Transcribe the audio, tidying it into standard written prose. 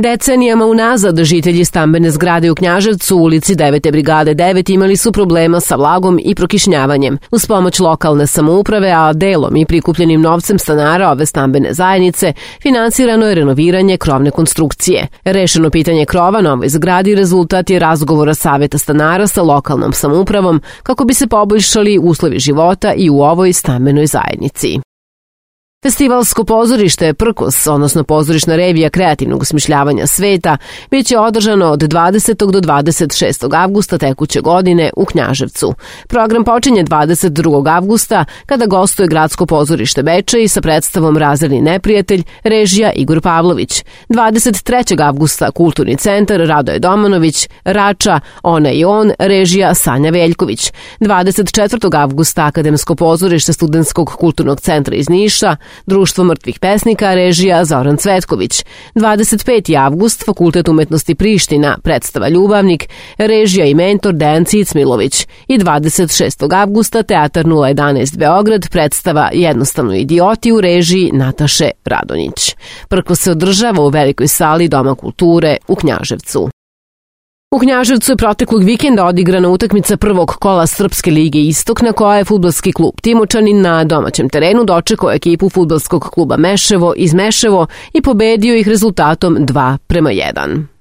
Decenijama unazad žitelji stambene zgrade u Knjaževcu u ulici 9. brigade 9 imali su problema sa vlagom i prokišnjavanjem. Uz pomoć lokalne samouprave, a delom i prikupljenim novcem stanara ove stambene zajednice, finansirano je renoviranje krovne konstrukcije. Rešeno pitanje krova na ovoj zgradi rezultat je razgovora saveta stanara sa lokalnom samoupravom kako bi se poboljšali uslovi života i u ovoj stambenoj zajednici. Festivalsko pozorište Prkos, odnosno pozorišna revija kreativnog osmišljavanja sveta, bit će održano od 20. do 26. avgusta tekuće godine u Knjaževcu. Program počinje 22. avgusta kada gostuje Gradsko pozorište Bečej sa predstavom Razredni neprijatelj, režija Igor Pavlović. 23. avgusta Kulturni centar Radoje Domanović, Rača, Ona i on, režija Sanja Veljković. 24. avgusta Akademsko pozorište Studentskog kulturnog centra iz Niša, Društvo mrtvih pesnika, režija Zoran Cvetković. 25. avgust, Fakultet umetnosti Priština, predstava Ljubavnik, režija i mentor Dejan Cicmilović. I 26. avgusta, Teatar 011 Beograd, predstava Jednostavno idioti u režiji Nataše Radonjić. Prkos se održava u velikoj sali Doma kulture u Knjaževcu. U Knjaževcu je proteklog vikenda odigrana utakmica prvog kola Srpske lige Istok na koja je fudbalski klub Timočani na domaćem terenu dočekao ekipu fudbalskog kluba Meševo iz Meševo i pobedio ih rezultatom 2:1.